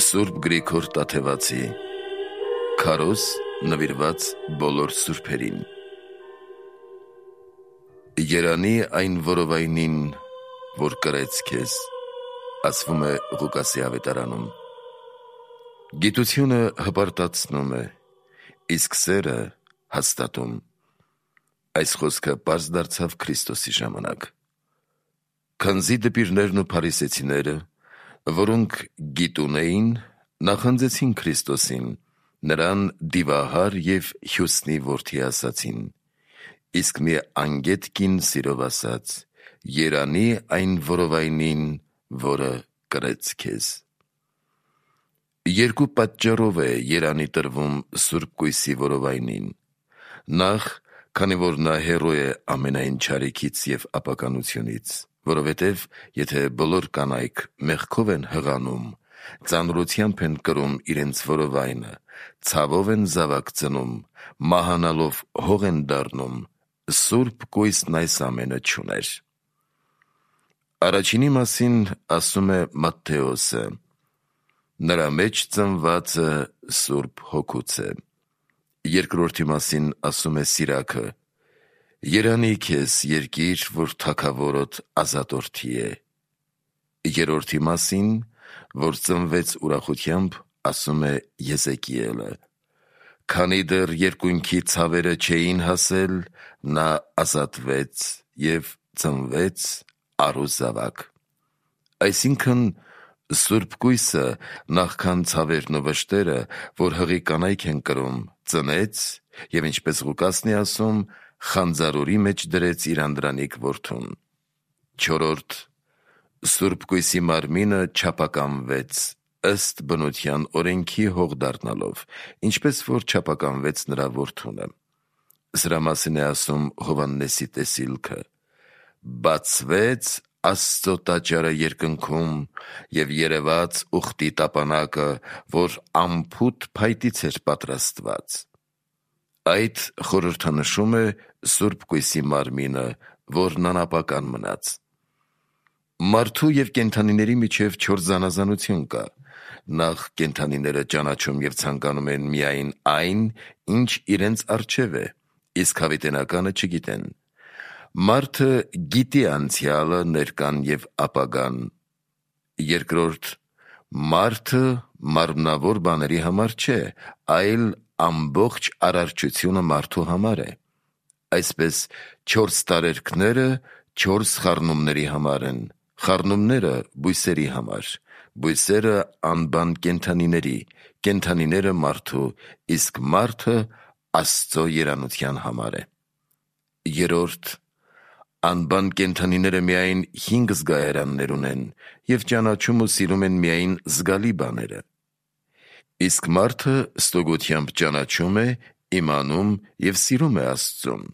Սուրբ Գրիգոր Տաթևացի Քարոզ նվիրված բոլոր սուրբերին։ Երանի այն որովայնին, որ կրեց քեզ, ասվում է Ղուկասի ավետարանում։ Գիտությունը հպարտացնում է, իսկ սերը հաստատում։ Այս խոսքը պարզ դարձավ Քրիստոսի ժամանակ։ Քանզի դպիրներն ու փարիսեցիները, որոնք գիտուն էին, նախանձեցին Քրիստոսին, նրան դիվահար և հյուսնի որդի ասացին, իսկ մի անգետ կին սիրով ասաց. երանի այն որովայնին, որը կրեց քեզ։ Երկու պատճառով է երանի տրվում Սուրբ Կույսի որովայնին։ Նախ, քանի որ նա հեռու է ամենայն չարիքից և ապականությունից, որովհետև եթե բոլոր կանայք մեղքով են հղանում, ծանրությամբ են կրում իրենց որովայնը, ցավով են զավակ ծնում, մահանալով հող են դառնում, Սուրբ Կույսն այս ամենը չուներ։ Առաջինի մասին ասում է Մատթեոսը. նրա մեջ ծնվածը Սուրբ Հոգուց է։ Երկրորդի մասին ասում է Սիրաքը. երանի քեզ երկիր, որ թագավորոդ ազատորդի է։ Երրորդի մասին, որ ծնվեց ուրախությամբ, ասում է Եզեկիելը. քանի դեռ երկունքի ցավերը չէին հասել, նա ազատվեց և ծնվեց առուզավակ։ Այսինքն, Սուրբ Կույսը, նախքան ցավերն ու վշտերը, որ հղի կանայք են կրում, ծնեց և ինչպես Ղուկասն է ասում, խանձարուրի մեջ դրեց իր անդրանիկ որդուն։ Չորրորդ, Սուրբ Կույսի մարմինը չափականվեց, ըստ բնության օրենքի հող դառնալով, ինչպես որ չափականվեց նրա որդունը։ Սրա մասին է ասում Հովհաննեսի տեսիլքը. բացվեց Աստծո տաճարը երկնքում և երևաց ուխտի տապանակը, որ անփութ փայտից էր պատրաստված։ Այդ խորհրդանշում է Սուրբ Կույսի մարմինը, որն անապական մնաց։ Մարդու և կենդանիների միջև չորս զանազանություն կա։ Նախ, կենդանիները ճանաչում և ցանկանում են միայն այն, ինչ իրենց առջև է, իսկ հավիտենականը չգիտեն։ Մարդը գիտի անցյալը, ներկան և ապագան։ Երկրորդ, մարդը մարմնավոր բաների համար չէ, այլ ամբողջ արարչությունը մարդու համար է։ Այսպես, չորս տարերքները չորս խառնումների համար են, խառնումները բույսերի համար, բույսերը անբան կենդանիների, կենդանիները մարդու, իսկ մարդը Աստծո երանության համար է։ Երրորդ, անբան կենդանիները միայն 5 զգայարաններ ունեն և ճանաչում ու սիրում են միայն զգալի բաները։ Իսկ մարդը ստուգությամբ ճանաչում է, իմանում և սիրում է Աստծուն։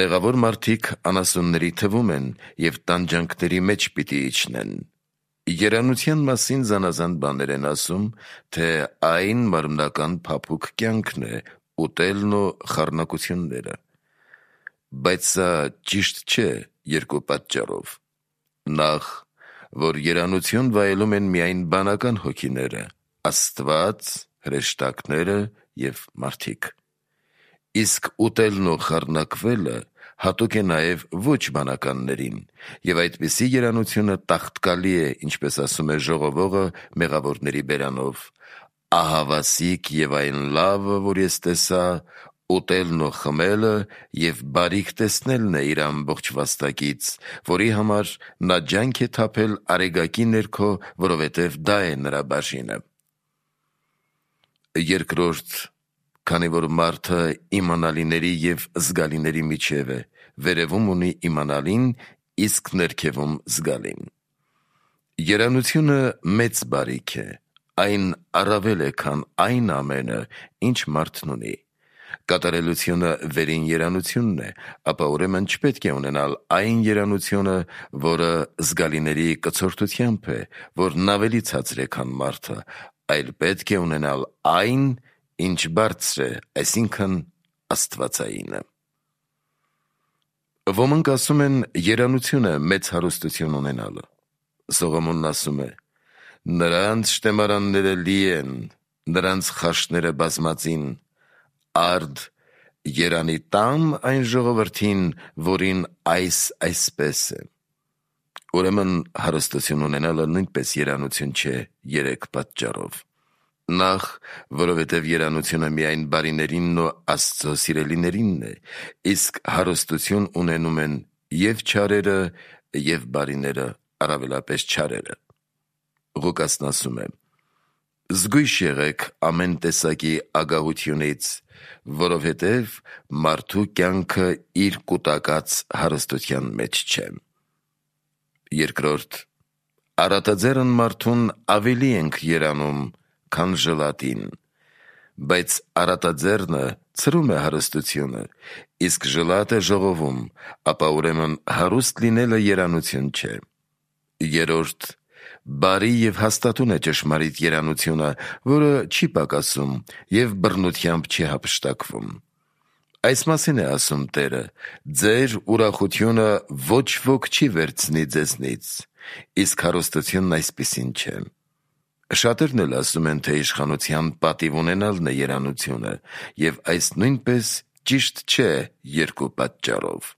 Մեղավոր մարդիկ անասունների թվում են և տանջանքների մեջ պիտի իջնեն։ Երանության մասին զանազան բաներ են ասում, թե այն մարմնական փափուկ կյանքն է, ուտելն ու խառնակությունները։ Բայց սա ճիշտ չէ երկու պատճառով. նախ, որ երանություն վայելում են միայն բանական հոգիները, Աստված, հրեշտակները և մարդիկ։ Իսկ ուտելն ու խառնակվելը հատուկ է նաև ոչ բանականներին, և այդպիսի երանությունը տաղտկալի է, ինչպես ասում է ժողովողը մեղավորների բերանով. ահավասիկ և այն լավը, որ ես տեսա, ուտելն ու խմելը և բարիք տեսնելն է իր ամբողջ վաստակից, որի համար նա ջանք է թափել արեգակի ներքո, որովհետև դա է նրա բաժինը։ Երկրորդ, քանի որ մարդը իմանալիների և զգալիների միջև է, վերևում ունի իմանալին, իսկ ներքևում զգալին։ Երանությունը մեծ բարիք է, այն առավել է, քան այն ամենը, ինչ մարդն ունի։ Կատարելությունը վերին երանությունն է, ապա ուրեմն չպետք է ունենալ այն երանությունը, որը զգալիների կցորդությամբ է, որն ավելի ցածր է, քան մարդը, այլ պետք է ունենալ այն, ինչ բարձր է, այսինքն աստվածայինը։ Ոմանք ասում են երանությունը մեծ հարստություն ունենալը։ Սողոմոնն ասում է. Նրանց շտեմարանները լի են, նրանց խաշները բազմածին, արդ երանի տամ այն ժողովրդին, որին այսպես է։ Ուրեմն հարստություն ունենալը նույնպես երանություն չէ երեք պատճառով. Նախ, որովհետև երանությունը միայն բարիներինն ու Աստծո սիրելիներինն է, իսկ հարստություն ունենում են և չարերը, և բարիները, առավելապես չարերը։ Ղուկասն ասում է. «Զգույշ եղեք ամեն տեսակի ագահությունից, որովհետև մարդու կյանքը իր կուտակած հարստության մեջ չէ»։ Երկրորդ, առատաձեռն մարդուն ավելի ենք երանում, քան ժլատին, բայց առատաձեռնը ցրում է հարստությունը, իսկ ժլատը ժողովում, ապա ուրեմն հարուստ լինելը երանություն չէ։ Երրորդ, բարի և հաստատուն է ճշմարիտ երանությունը, որը չի պակասում և բռնությամբ չի հափշտակվում։ Այս մասին է ասում Տերը. «Ձեր ուրախությունը ոչ ոք չի վերցնի ձեզնից, իսկ հարստությունն այսպիսին չէ»։ Շատերն էլ ասում են, թե իշխանության պատիվ ունենալն է երանությունը, և այս նույնպես ճիշտ չէ երկու պատճառով.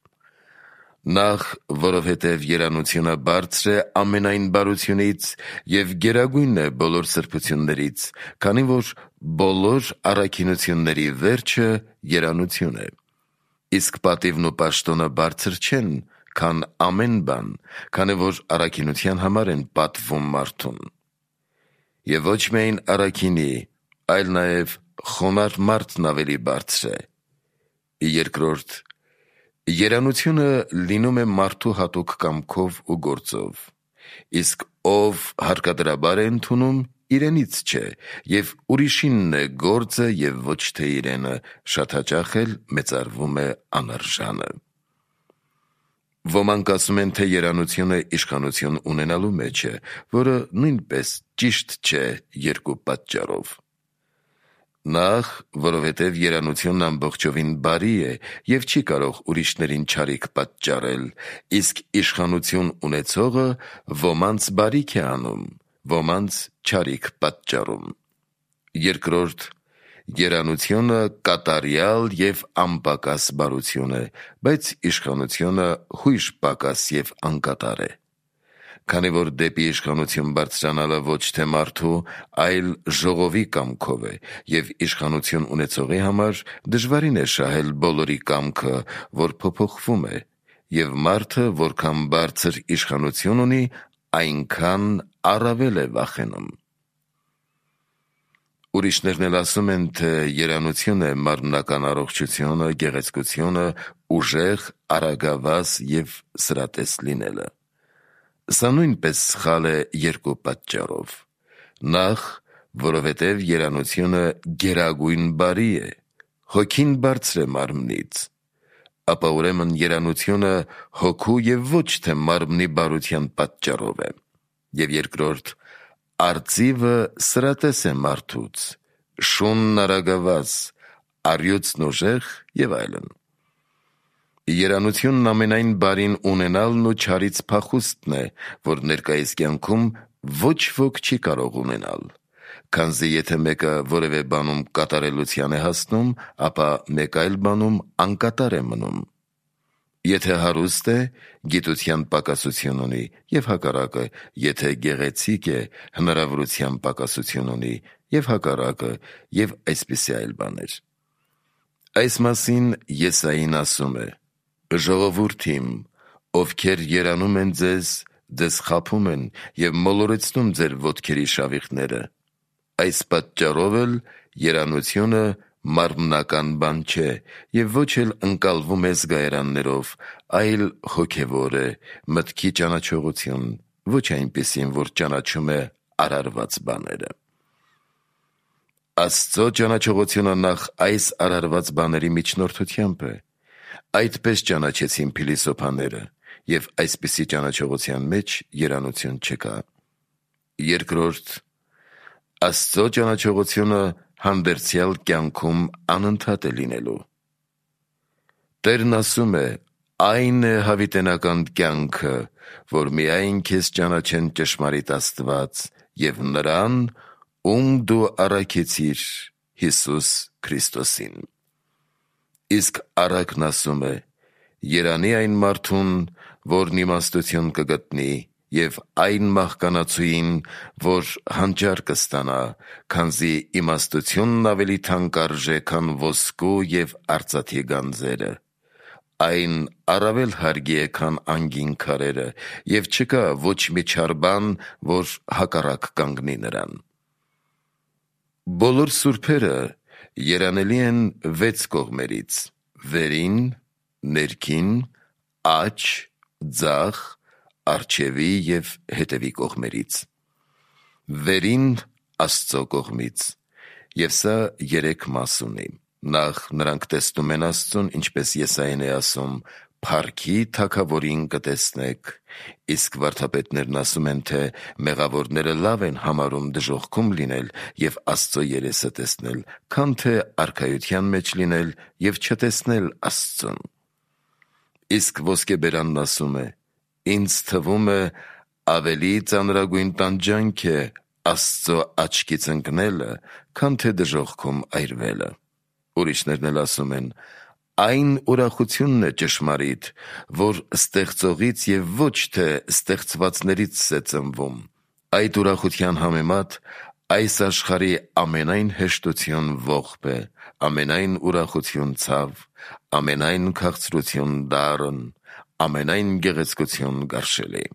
Նախ, որովհետև երանությունը բարձր է ամենայն բարությունից և գերագույնն է բոլոր սրբություններից, քանի որ բոլոր առաքինությունների վերջը երանություն է։ Իսկ պատիվն ու պաշտոնը բարձր չեն, քան ամեն բան, քանի որ առաքինության համար են պատվում մարդուն։ Եվ ոչ միայն առաքինի, այլ նաև խոնարհ մարդն ավելի բարձր է։ Երկրորդ, երանությունը լինում է մարդու հատուկ կամքով ու գործով, իսկ ով հարկադրաբար է ընդունում, իրենից չէ, և ուրիշինն է գործը և ոչ թե իրենը, շատ հաճախ էլ մեծարվում է անարժանը։ Ոմանք ասում են, թե երանությունը իշխանություն ունենալու մեջ է, որը նույնպես ճիշտ չէ երկու պատճառով. Նախ, որովհետև երանությունն ամբողջովին բարի է և չի կարող ուրիշներին չարիք պատճառել, իսկ իշխանություն ունեցողը ոմանց բարիք է անում, ոմանց չարիք պատճառում։ Երկրորդ, երանությունը կատարյալ և անպակաս բարություն է, բայց իշխանությունը հույժ պակաս և անկատար է։ Քանի որ դեպի իշխանություն բարձրանալը ոչ թե մարդու, այլ ժողովի կամքով է, և իշխանություն ունեցողի համար դժվարին է շահել բոլորի կամքը, որ փոփոխվում է, և մարդը որքան բարձր իշխանություն ունի, այնքան առավել է վախենում։ Ուրիշներն էլ ասում են, թե երանություն է մարմնական առողջությունը, գեղեցկությունը, ուժեղ, արագավազ և սրատես լինելը։ Սա նույնպես սխալ է երկու պատճառով. Նախ, որովհետև երանությունը գերագույն բարի է, հոգին բարձր է մարմնից, ապա ուրեմն երանությունը հոգու և ոչ թե մարմնի բարության պատճառով է։ Եվ երկրորդ, արծիվը սրատես է մարդուց, շունն արագավազ, առյուծն ուժեղ և այլն։ Երանությունն ամենայն բարին ունենալն ու չարից փախուստն է, որ ներկայիս կյանքում ոչ ոք չի կարող ունենալ, քանզի եթե մեկը որևէ բանում կատարելության է հասնում, ապա մեկ այլ բանում անկատար է մնում։ Եթե հարուստ է, գիտության պակասություն ունի, և հակառակը, եթե գեղեցիկ է, հնարավորության պակասություն ունի, և հակառակը, և այսպիսի այլ բաներ։ Այս մասին Եսային ասում է. «Ժողովուրդ իմ, ովքեր երանում են ձեզ խաբում են և մոլորեցնում ձեր ոտքերի շավիղները։ Այս պատճառով էլ երանությունը մարմնական բան չէ և ոչ էլ ընկալվում է զգայարաններով, այլ հոգևոր է, մտքի ճանաչողություն, ոչ այնպիսին, որ ճանաչում է արարված բաները»։ Աստծո ճանաչողությունը նախ այս արարված բաների միջնորդությամբ է։ Այդպես ճանաչեցին փիլիսոփաները, և այսպիսի ճանաչողության մեջ երանություն չկա։ Երկրորդ, Աստծո ճանաչողությունը հանդերձյալ կյանքում անընդհատ է լինելու։ Տերն ասում է. «Այն է հավիտենական կյանքը, որ միայն քեզ ճանաչեն ճշմարիտ Աստված և նրան, ում դու առաքեցիր, Հիսուս Քրիստոսին։ Իսկ առակն ասում է. «Երանի այն մարդուն, որն իմաստություն կգտնի, և այն մահկանացուին, որ հանճար կստանա, քանզի իմաստությունն ավելի թանկ արժե, քան ոսկու և արծաթի գանձերը, այն առավել հարգի է, քան անգին քարերը, և չկա ոչ մի չար բան, որ հակառակ կանգնի նրան»։ Բոլոր սուրբերը երանելի են 6 կողմերից՝ վերին, ներքին, աջ, ձախ, առջևի և հետևի կողմերից։ Վերին Աստծո կողմից, և սա 3 մաս ունի. Նախ նրանք տեսնում են Աստծուն, ինչպես Եսային է ասում. «Փառքի Թագավորին կտեսնեք», իսկ վարդապետներն ասում են, թե մեղավորները լավ են համարում դժոխքում լինել և Աստծո երեսը տեսնել, քան թե արքայության մեջ լինել և չտեսնել Աստծուն։ Իսկ ոսկեբերանն ասում է. «Ինձ թվում է ավելի ծանրագույն տանջանք է Աստծո աչքից ընկնելը, քան թե դժոխքում այրվելը»։ Ուրիշներն էլ ասում են. «Այն ուրախությունն է ճշմարիտ, որ ստեղծողից և ոչ թե ստեղծվածներից է ծնվում. այդ ուրախության համեմատ այս աշխարհի ամենայն հեշտություն ողբ է, ամենայն ուրախություն ցավ, ամենայն քաղցրություն դառն, ամենայն գեղեցկություն գարշելի»։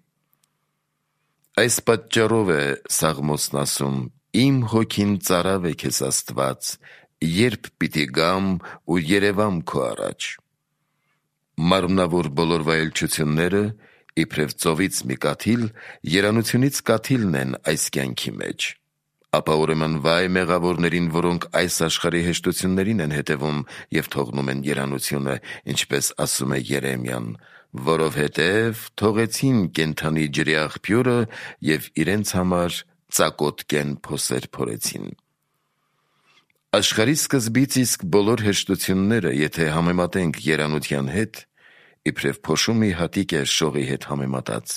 Այս պատճառով է Սաղմոսն ասում. «Իմ հոգին ծարավ է քեզ Աստված, երբ պիտի գամ ու երևամ քո առաջ»։ Մարմնավոր բոլոր վայելչությունները, իբրև ծովից մի կաթիլ, երանությունից կաթիլն են այս կյանքի մեջ։ Ապա ուրեմն վայ մեղավորներին, որոնք այս աշխարհի հեշտություններին են հետևում և թողնում են երանությունը, ինչպես ասում է Երեմիան. «Որովհետև թողեցին կենդանի ջրի աղբյուրը և իրենց համար ծակոտ կեն փոսեր փորեցին»։ Աշխարհի սկզբից իսկ բոլոր հեշտությունները, եթե համեմատենք երանության հետ, իբրև փոշու մի հատիկ է շողի հետ համեմատած։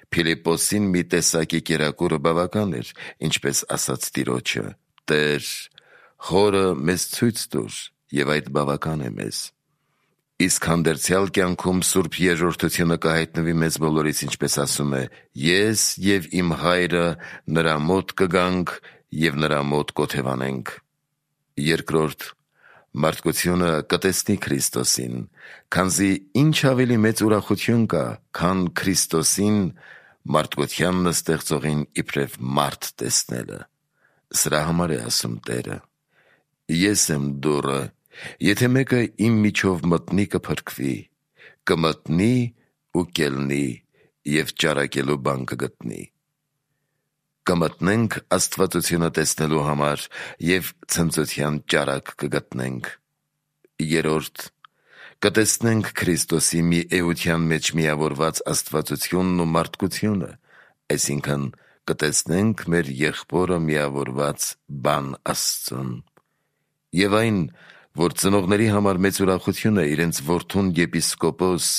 Փիլիպպոսին մի տեսակի կերակուրը բավական էր, ինչպես ասաց Տիրոջը. «Տեր, խորը մեզ ցույց տուր, և այդ բավական է մեզ»։ Իսկ հանդերձյալ կյանքում Սուրբ Երրորդությունը կհայտնվի մեզ բոլորից, ինչպես ասում է. «Ես և իմ Հայրը նրա մոտ կգանք և նրա մոտ կօթևանենք»։ Երկրորդ, մարդկությունը կտեսնի Քրիստոսին, քանզի ինչ ավելի մեծ ուրախություն կա, քան Քրիստոսին, մարդկությանն ստեղծողին, իբրև մարդ տեսնելը։ Սրա համար է ասում Տերը. «Ես եմ դուռը, եթե մեկը իմ միջով մտնի, կփրկվի, կմտնի ու կելնի և ճարակելու բան կգտնի»։ Կմտնենք աստվածությունը տեսնելու համար և ցնծության ճարակ կգտնենք։ Երրորդ, կտեսնենք Քրիստոսի մի էության մեջ միավորված աստվածությունն ու մարդկությունը, այսինքն կտեսնենք մեր Եղբորը միավորված բան Աստծուն։ Եվ այն, որ ծնողների համար մեծ ուրախություն է իրենց որդուն եպիսկոպոս,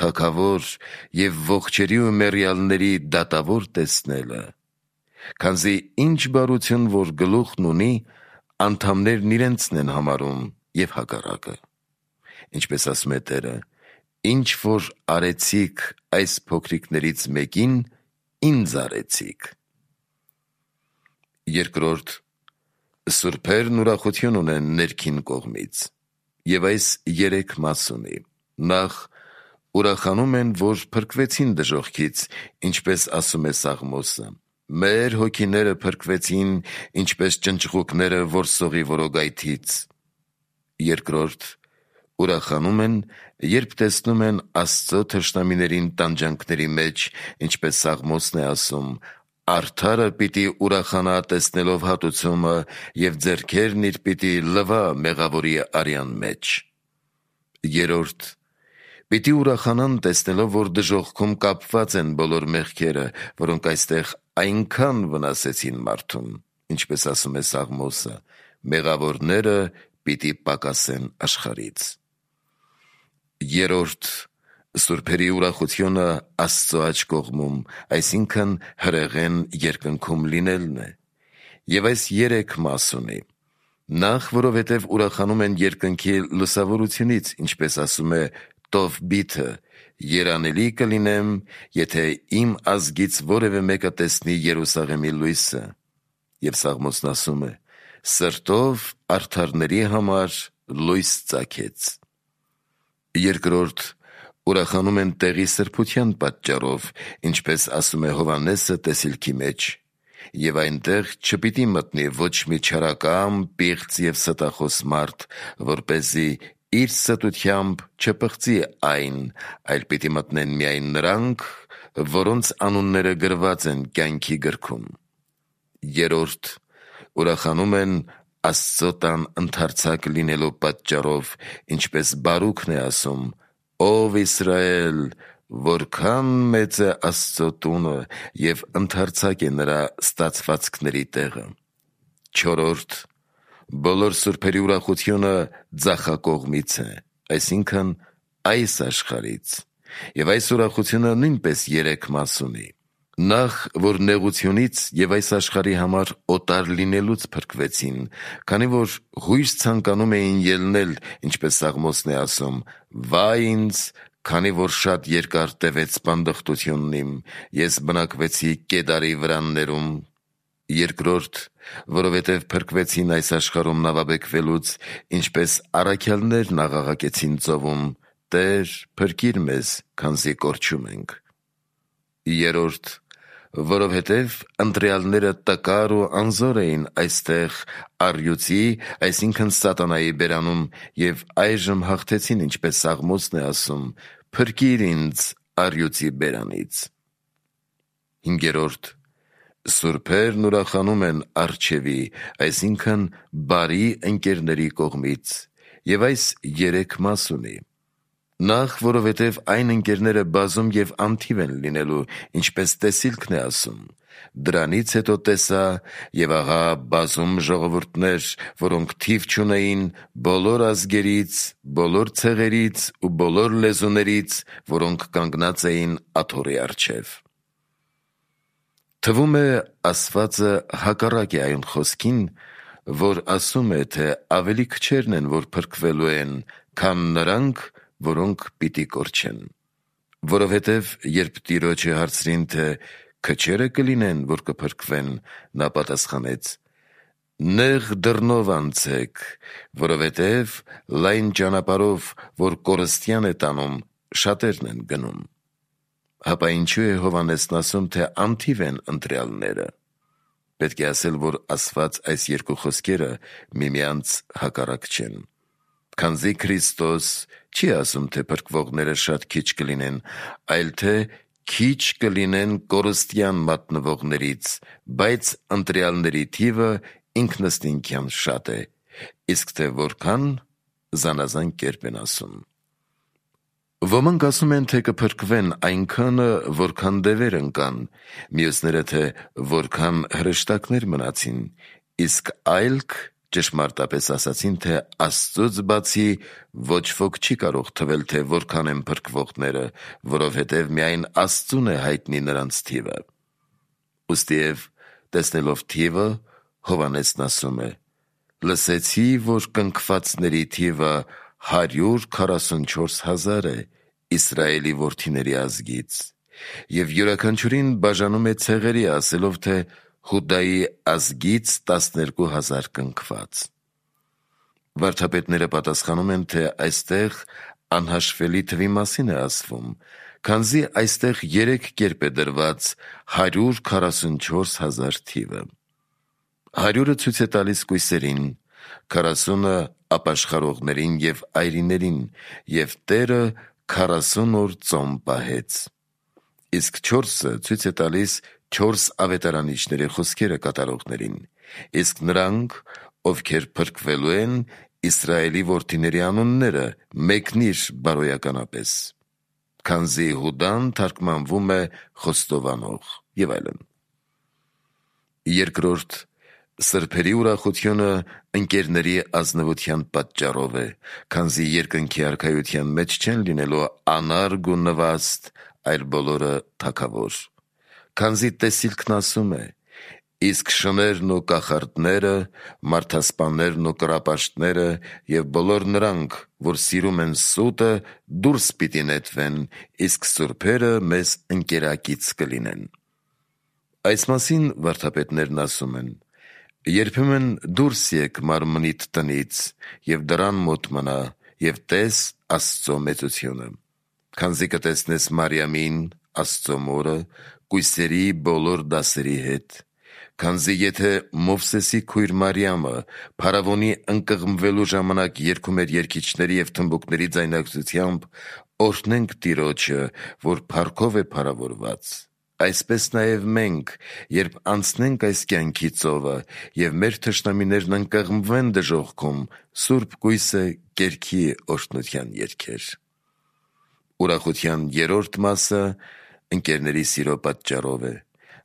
թագավոր և ողջերի ու մեռյալների դատավոր տեսնելը, քանզի ինչ բարություն որ գլուխն ունի, անդամներն իրենցն են համարում և հակառակը։ Ինչպես ասում է Տերը. «Ինչ որ արեցիք այս փոքրիկներից մեկին, ինձ արեցիք»։ Երկրորդ, սուրբերն ուրախություն ունեն ներքին կողմից, և այս 3 մաս ունի։ Նախ, ուրախանում են, որ փրկվեցին դժոխքից, ինչպես ասում է Սաղմոսը. «Մեր հոգիները փրկվեցին, ինչպես ճնճղուկները որսողի որոգայթից»։ Երկրորդ, ուրախանում են, երբ տեսնում են Աստծո թշնամիներին տանջանքների մեջ, ինչպես Սաղմոսն է ասում. «Արդարը պիտի ուրախանա տեսնելով հատուցումը, և ձեռքերն իր պիտի լվա մեղավորի արյան մեջ»։ Երրորդ, պիտի ուրախանան տեսնելով, որ դժոխքում կապված են բոլոր մեղքերը, որոնք այստեղ այնքան վնասեցին մարդուն, ինչպես ասում է Սաղմոսը. «Մեղավորները պիտի պակասեն աշխարհից»։ Երրորդ, Սուրբերի ուրախությունը Աստծո աջ կողմում, այսինքն հրեղեն երկնքում լինելն է, եւ այս 3 մաս ունի. նախ, որովհետև ուրախանում են երկնքի լուսավորությունից, ինչպես ասում է Տովբիթը, երանելի կլինեմ, եթե իմ ազգից որևէ մեկը տեսնի Երուսաղեմի լույսը, եւ Սաղմոսն ասում է. սրտով արդարների համար լույս ծագեց։ Երկրորդ, ուրախանում են տեղի սրբության պատճառով, ինչպես ասում է Հովհաննեսը տեսիլքի մեջ, եւ այնտեղ չպիտի մտնի ոչ մի չարակամ, պիղծ եւ ստախոս մարդ, որպեսզի իր ստությամբ չպղծի այն, այլ պիտի մտնեն միայն նրանք, որոնց անունները գրված են կյանքի գրքում։ Երրորդ, ուրախանում են Աստծո տան ընդարձակ լինելու պատճառով, ինչպես Բարուքն է ասում. «Ով Իսրայել, որքան մեծ է Աստծո տունը եւ ընդարձակ է նրա ստացվածքների տեղը»։ Չորրորդ, բոլոր սուրբերի ուրախությունը ձախակողմից է, այսինքն այս աշխարհից, եւ այս ուրախությունը նույնպես 3 մաս ունի. նախ, որ նեղությունից եւ այս աշխարհի համար օտար լինելուց փրկվեցին, քանի որ հույս ցանկանում էին ելնել, ինչպես Սաղմոսն է ասում. «Վայ ինձ, քանի որ շատ երկար տևեց բանդխտությունն իմ, ես բնակվեցի Կեդարի վրաններում»։ Երկրորդ, որովհետև փրկվեցին այս աշխարհում նավաբեկվելուց, ինչպես առաքյալներն աղաղակեցին ծովում. «Տեր, փրկիր մեզ, քանզի կորչում ենք»։ Երրորդ, որովհետև ընտրյալները տկար ու անզոր էին այստեղ առյուծի, այսինքն սատանայի բերանում, եւ այժմ հաղթեցին, ինչպես Սաղմոսն է ասում. «Փրկիր ինձ առյուծի բերանից»։ Հինգերորդ, սուրբերն ուրախանում են առջևի, այսինքն բարի ընկերների կողմից, եւ այս 3 մաս ունի. նախ, որովհետև այն ընկերները բազում եւ անթիվ են լինելու, ինչպես տեսիլքն է ասում. դրանից հետո տեսա, եւ ահա բազում ժողովուրդներ, որոնք թիվ չունեին, բոլոր ազգերից, բոլոր ցեղերից ու բոլոր լեզուներից, որոնք կանգնած էին աթոռի առջև։ Թվում է ասվածը հակառակ է այն խոսքին, որ ասում է, թե ավելի քչերն են, որ փրկվելու են, քան նրանք, որոնք պիտի կորչեն։ Որովհետև երբ Տիրոջը հարցրին, թե քչերը կլինեն, որ կփրկվեն, նա պատասխանեց. «Նեղ դռնով անցեք, որովհետև լայն ճանապարհով, որ կորստյան է տանում, շատերն են գնում»։ Հապա ինչու է Հովհաննեսն ասում, թե անթիվ են ընտրյալները։ Պետք է ասել, որ ասված այս 2 խոսքերը միմյանց հակառակ չեն։ Քանզի Քրիստոս չի ասում, թե փրկվողները շատ քիչ կլինեն, այլ թե քիչ կլինեն կորստյան մատնվողներից, բայց ընտրյալների թիվը ինքնըստինքյան շատ է, իսկ թե որքան, զանազան կերպ են ասում։ Ոմանք ասում են, թե կփրկվեն այնքանը, որքան դևեր ընկան, մյուսները, թե որքան հրեշտակներ մնացին, իսկ այլք ճշմարտապես ասացին, թե Աստծուց բացի ոչ ոք չի կարող թվել, թե որքան են փրկվողները, որովհետև միայն Աստծուն է հայտնի նրանց թիվը։ Ուստիև տեսնելով թիվը, Հովհաննեսն ասում է. «Լսեցի, որ կնքվածների թիվը 144,000 է Իսրայելի որդիների ազգից, եւ յուրաքանչյուրին բաժանում է ցեղերի, ասելով, թե Հուդայի ազգից 12,000 կնքված»։ Վարդապետները պատասխանում են, թե այստեղ անհաշվելի թվի մասին է ասվում, քանզի այստեղ 3 կերպ է դրված 144,000 թիվը։ 100-ը ցույց է տալիս կույսերին, 40-ը ապաշխարողներին եւ այրիներին, եւ Տերը 40 օր ծոմ պահեց։ Իսկ 4-ը ցույց է տալիս 4 ավետարանիչների խոսքերը կատարողներին, իսկ նրանք, ովքեր փրկվելու են, Իսրայելի որդիների անունները մեկնիր բարոյականապես, քանզի Հուդան թարգմանվում է խոստովանող եւ այլն։ Երկրորդ, Սրբերի ուրախությունը ընկերների ազնվության պատճառով է, քանզի երկնքի արքայության մեջ չեն լինելու անարգ ու նվաստ, այլ բոլորը թագավոր։ Քանզի տեսիլքն ասում է. իսկ շներն ու կախարդները, մարդասպաններն ու կռապաշտները և բոլոր նրանք, որ սիրում են սուտը, դուրս պիտի նետվեն, իսկ սուրբերը մեզ ընկերակից կլինեն։ Այս մասին վարդապետներն ասում են. երբեմն դուրս եկ մարմնիդ տնից և դրան մոտ մնա և տես Աստծո մեծությունը, քանզի կտեսնես Մարիամին, Աստծո մորը, կույսերի բոլոր դասերի հետ, քանզի եթե Մովսեսի քույր Մարիամը փարավոնի ընկղմվելու ժամանակ երգում էր երգիչների և թմբուկների ձայնագրությամբ օրհնենք Տիրոջը, որ փառքով է փարավորված, այսպես նաև մենք, երբ անցնենք այս կյանքի ծովը և մեր թշնամիներն ընկղմվեն դժոխքում, Սուրբ կույսը կերքի օրհնության երգեր։ Ուրախության երրորդ մասը ընկերների սիրո պատճառով է։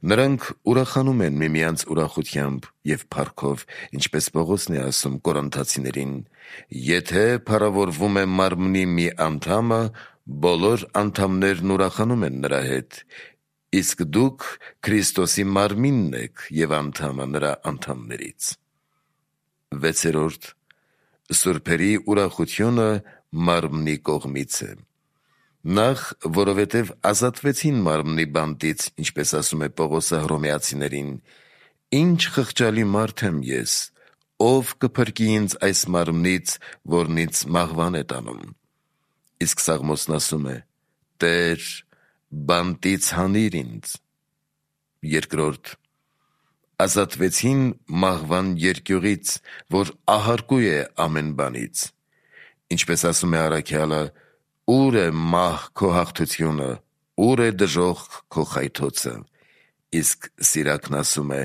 Նրանք ուրախանում են միմյանց ուրախությամբ և փառքով, ինչպես Պողոսն է ասում Կորինթացիներին. եթե փառավորվում է մարմնի մի անդամը, բոլոր անդամներն ուրախանում են նրա հետ, իսկ դուք Քրիստոսի մարմինն եք և անդամը նրա անդամներից։ Վեցերորդ. սուրբերի ուրախությունը մարմնի կողմից է։ Նախ, որովհետև ազատվեցին մարմնի բանտից, ինչպես ասում է Պողոսը Հռոմեացիներին. ինչ խղճալի մարդ եմ ես, ով կփրկի ինձ այս մարմնից, որն ինձ մահվան է տանում։ Իսկ Սաղմոսն ասում է. Տեր, բանտից հանիր ինձ։ Երկրորդ. ազատվեցին մահվան երկյուղից, որ ահարկու է ամեն բանից։ Ինչպես ասում է առաքյալը. ուր է մահ քո հաղթությունը, ուր է դժոխք քո խայթոցը։ Իսկ Սիրակն ասում է.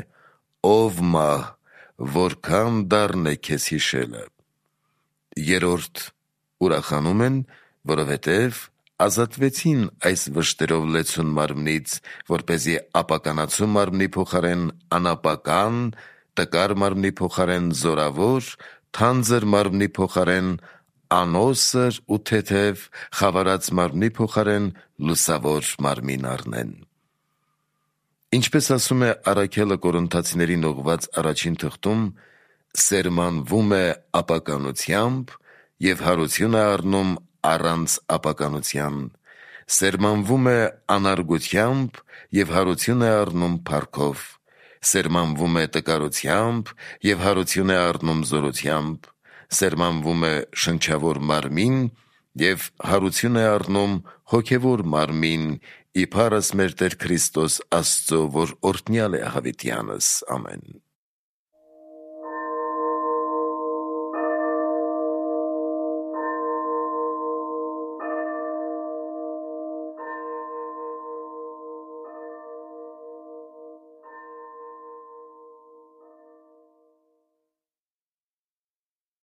ով մահ, որքան դառն է քեզ հիշելը։ Երրորդ. ուրախանում են, որովհետև ազատվեցին այս վշտերով լեցուն մարմնից, որպեսզի ապականացու մարմնի փոխարեն անապական, տկար մարմնի փոխարեն զորավոր, թանձր մարմնի փոխարեն անոսր ու թեթև, խավարած մարմնի փոխարեն լուսավոր մարմին առնեն։ Ինչպես ասում է առաքյալը Կորինթացիներին ուղղված առաջին թղթում, սերմանվում է ապականությամբ և հարություն է առնում առանց ապականության, սերմանվում է անարգությամբ և հարություն է առնում փառքով, սերմանվում է տկարությամբ և հարություն է առնում զորությամբ, սերմանվում է շնչավոր մարմին և հարություն է առնում հոգևոր մարմին, իբարս մեր Տեր Քրիստոս Աստծո, որ օրհնյալ է հավիտյանս։ Ամեն։